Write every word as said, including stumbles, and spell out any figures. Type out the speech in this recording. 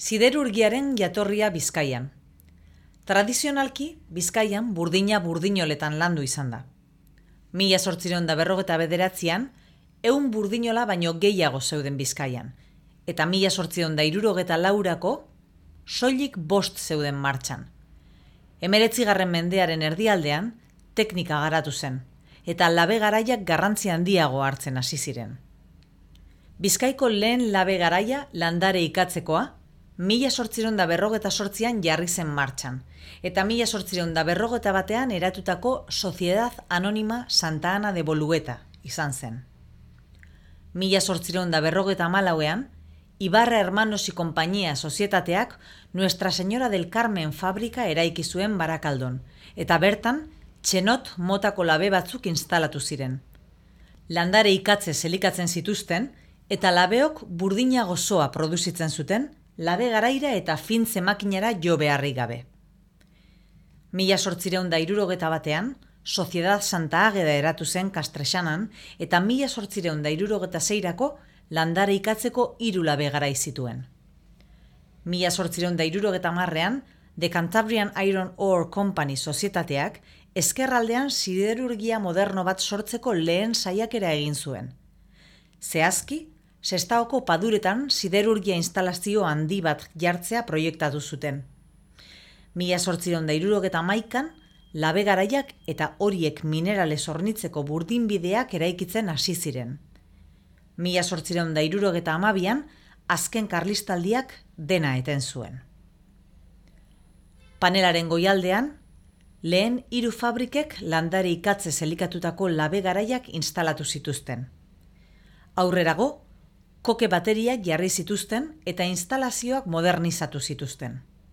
Siderurgiaren jatorria Bizkaian. Tradizionalki, Bizkaian burdina burdinoletan landu izan da. Mila zortziehun eta berrogeita bederatzian, ehun burdinola baino gehiago zeuden Bizkaian, eta mila zortziehun eta hirurogeita laurako soilik bost zeuden martxan. Hemeretzigarren mendearen erdialdean, teknika garatu zen, eta labe garaiak garrantzi handiago hartzen hasi ziren. Bizkaiko lehen labe garaia landare ikatzekoa, mila zortziehun eta berrogeita zortzian jarri zen martxan, eta mila zortziehun eta berrogeita batean eratutako Sociedad Anónima Santa Ana de Bolueta izan zen. Mila zortziehun eta berrogeita hamalauean, Ibarra Hermanos y Compañía sozietateak Nuestra Señora del Carmen fabrika eraiki zuen Barakaldon, eta bertan txenot motako labe batzuk instalatu ziren. Landare ikatze elikatzen zituzten, eta labeok burdina gozoa produzitzen zuten, labe garaira eta fintze makinara jo beharrik gabe. Mila zortziehun eta hirurogeita batean, Sociedad Santa Águeda eratu zen Kastrexanan, eta mila zortziehun eta hirurogeita seirako landare ikatzeko hiru labe garai zituen. Mila zortziehun eta hirurogeita hamarrean, The Cantabrian Iron Ore Company sozietateak ezkerraldean siderurgia moderno bat sortzeko lehen saiakera egin zuen. Zehazki, Sestaoko paduretan siderurgia instalazio handi bat jartzea proiektatu zuten. Mila zortziehun eta hirurogeita hamaikan, labe garaiak eta horiek mineralez hornitzeko burdinbideak eraikitzen hasi ziren. Mila zortziehun eta hirurogeita hamabian, azken karlistaldiak dena eten zuen. Panelaren goialdean, lehen hiru fabrikek landare ikatzez elikatutako labe garaiak instalatu zituzten. Aurrerago, koke bateriak jarri zituzten eta instalazioak modernizatu zituzten.